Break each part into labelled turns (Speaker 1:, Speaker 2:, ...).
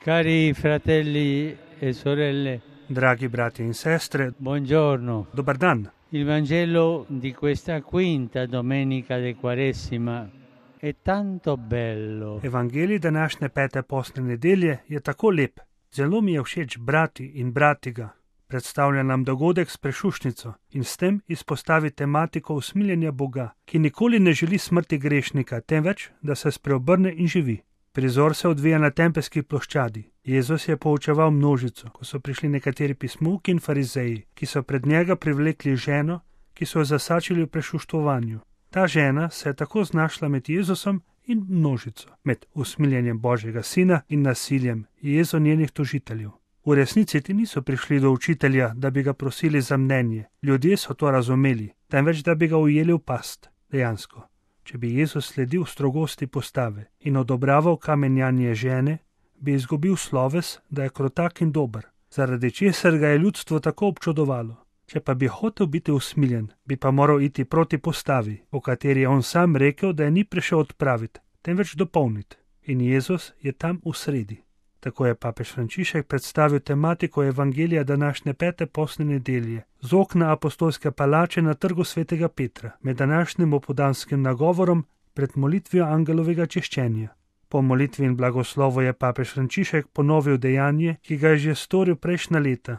Speaker 1: Cari fratelli e sorelle,
Speaker 2: Dragi brati in sestre,
Speaker 1: buongiorno.
Speaker 2: dobar dan.
Speaker 1: Il Vangelo di questa quinta domenica di Quaresima è tanto bello.
Speaker 2: Evangelij današnje pete postne nedelje je tako lep. Zelo mi je všeč brati in brati ga. Predstavlja nam dogodek s prešušnico in s tem izpostavi tematiko usmiljenja Boga, ki nikoli ne želi smrti grešnika, temveč, da se spreobrne in živi. Prizor se odvija na tempelski ploščadi. Jezus je poučeval množico, ko so prišli nekateri pismovki in farizeji, ki so pred njega privlekli ženo, ki so jo zasačili v prešuštvovanju. Ta žena se je tako znašla med Jezusom in množico, med usmiljenjem Božjega sina in nasiljem jezo njenih tožiteljev. V resnici ti niso prišli do učitelja, da bi ga prosili za mnenje. Ljudje so to razumeli, temveč da bi ga ujeli v past. Dejansko, če bi Jezus sledil strogosti postave in odobraval kamenjanje žene, bi izgubil sloves, da je krotak in dober, zaradi česar ga je ljudstvo tako občudovalo. Če pa bi hotel biti usmiljen, bi pa moral iti proti postavi, o kateri je on sam rekel, da je ni prišel odpraviti, temveč dopolniti. In Jezus je tam v sredi. Tako je papež Frančišek predstavil tematiko evangelija današnje pete postne nedelje z okna apostolske palače na trgu svetega Petra med današnjim opoldanskim nagovorom pred molitvijo angelovega čiščenja. Po molitvi in blagoslovu je papež Frančišek ponovil dejanje, ki ga je že storil prejšnja leta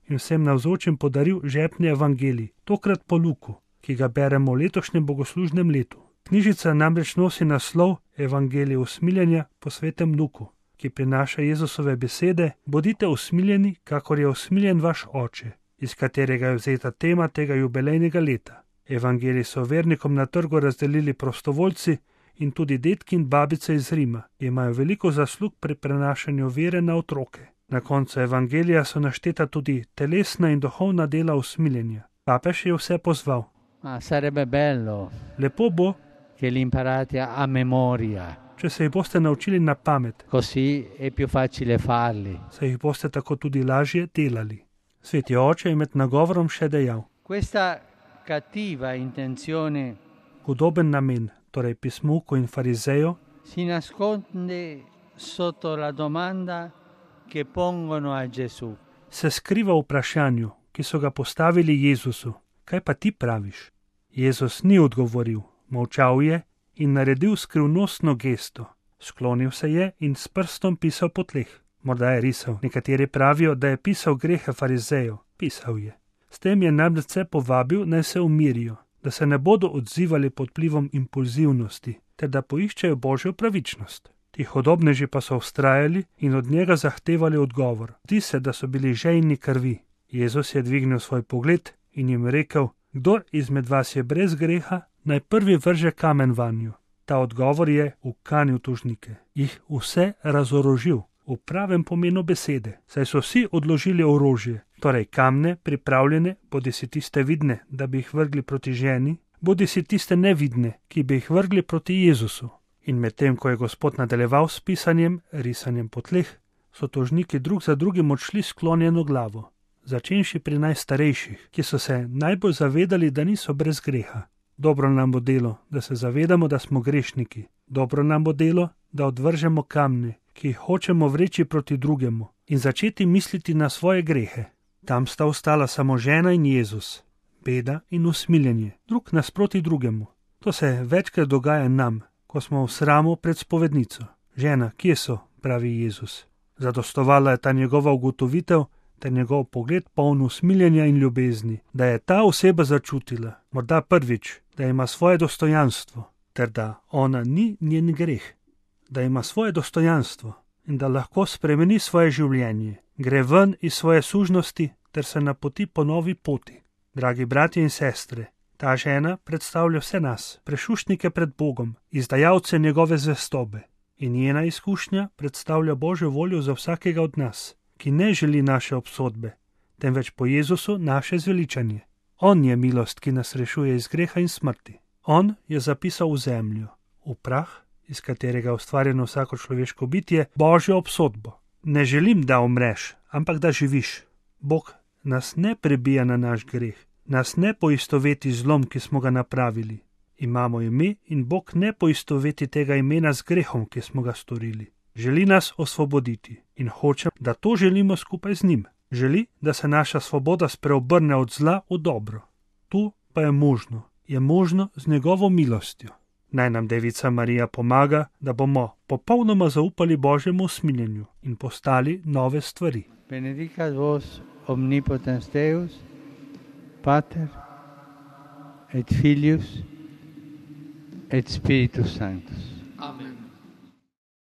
Speaker 2: in vsem navzočim podaril žepni evangelij, tokrat po Luku, ki ga beremo v letošnjem bogoslužnem letu. Knjižica namreč nosi naslov Evangelij usmiljenja po svetem Luku, ki prinaša Jezusove besede: bodite usmiljeni, kakor je usmiljen vaš oče, iz katerega je vzeta tema tega jubilejnega leta. Evangelij so vernikom na trgu razdelili prostovoljci in tudi detki in babice iz Rima, ki imajo veliko zaslug pri prenašanju vere na otroke. Na koncu evangelija so našteta tudi telesna in duhovna dela usmiljenja. Papež je vse pozval.
Speaker 1: Sarebbe bello
Speaker 2: Lepo bo,
Speaker 1: che li imparate a memoria,
Speaker 2: če se jih boste naučili na pamet,
Speaker 1: così è più facile farli.
Speaker 2: se jih boste tako tudi lažje delali. Sveti oče je med nagovorom še dejal:
Speaker 1: Questa cattiva intenzione
Speaker 2: hudoben namen, torej pismovko in farizejo,
Speaker 1: si nasconde sotto la domanda che pongono a Gesù.
Speaker 2: se skriva v vprašanju, ki so ga postavili Jezusu: kaj pa ti praviš? Jezus ni odgovoril, molčal je in naredil skrivnostno gesto. Sklonil se je in s prstom pisal po tleh. Morda je risal. Nekateri pravijo, da je pisal grehe farizejev. Pisal je. S tem je namreč vse povabil, naj se umirijo, da se ne bodo odzivali pod vplivom impulzivnosti, ter da poiščejo Božjo pravičnost. Ti hodobneži pa so vztrajali in od njega zahtevali odgovor. Zdi se, da so bili žejni krvi. Jezus je dvignil svoj pogled in jim rekel: kdor izmed vas je brez greha, naj prvi vrže kamen vanju. Ta odgovor je ukanil tožnike, jih vse razorožil, v pravem pomenu besede, saj so vsi odložili orožje, torej kamne pripravljene, bodisi tiste vidne, da bi jih vrgli proti ženi, bodisi tiste nevidne, ki bi jih vrgli proti Jezusu. In medtem, ko je Gospod nadaljeval s pisanjem, risanjem po tleh, so tožniki drug za drugim odšli sklonjeno glavo, začenši pri najstarejših, ki so se najbolj zavedali, da niso brez greha. Dobro nam bo delo, da se zavedamo, da smo grešniki. Dobro nam bo delo, da odvržemo kamne, ki jih hočemo vreči proti drugemu, in začeti misliti na svoje grehe. Tam sta ostala samo žena in Jezus, beda in usmiljenje, drug nasproti drugemu. To se večkrat dogaja nam, ko smo v sramu pred spovednico. Žena, kje so, pravi Jezus. Zadostovala je ta njegova ugotovitev, ter njegov pogled poln usmiljenja in ljubezni, da je ta oseba začutila, morda prvič, da ima svoje dostojanstvo, ter da ona ni njen greh, da ima svoje dostojanstvo in da lahko spremeni svoje življenje, gre ven iz svoje sužnosti ter se napoti po novi poti. Dragi bratje in sestre, ta žena predstavlja vse nas, prešuštnike pred Bogom, izdajalce njegove zvestobe, in njena izkušnja predstavlja Božjo voljo za vsakega od nas, ki ne želi naše obsodbe, temveč po Jezusu naše zveličanje. On je milost, ki nas rešuje iz greha in smrti. On je zapisal v zemljo, v prah, iz katerega je ustvarjeno vsako človeško bitje, Božjo obsodbo. Ne želim, da umreš, ampak da živiš. Bog nas ne prebija na naš greh, nas ne poistoveti z zlom, ki smo ga napravili. Imamo ime in Bog ne poistoveti tega imena z grehom, ki smo ga storili. Želi nas osvoboditi in hoče, da to želimo skupaj z njim. Želi, da se naša svoboda spreobrne od zla v dobro. To pa je možno z njegovo milostjo. Naj nam Devica Marija pomaga, da bomo popolnoma zaupali Božjemu usmiljenju in postali nove stvari.
Speaker 1: Benedicat vos omnipotens Deus, Pater et Filius et Spiritus Sanctus.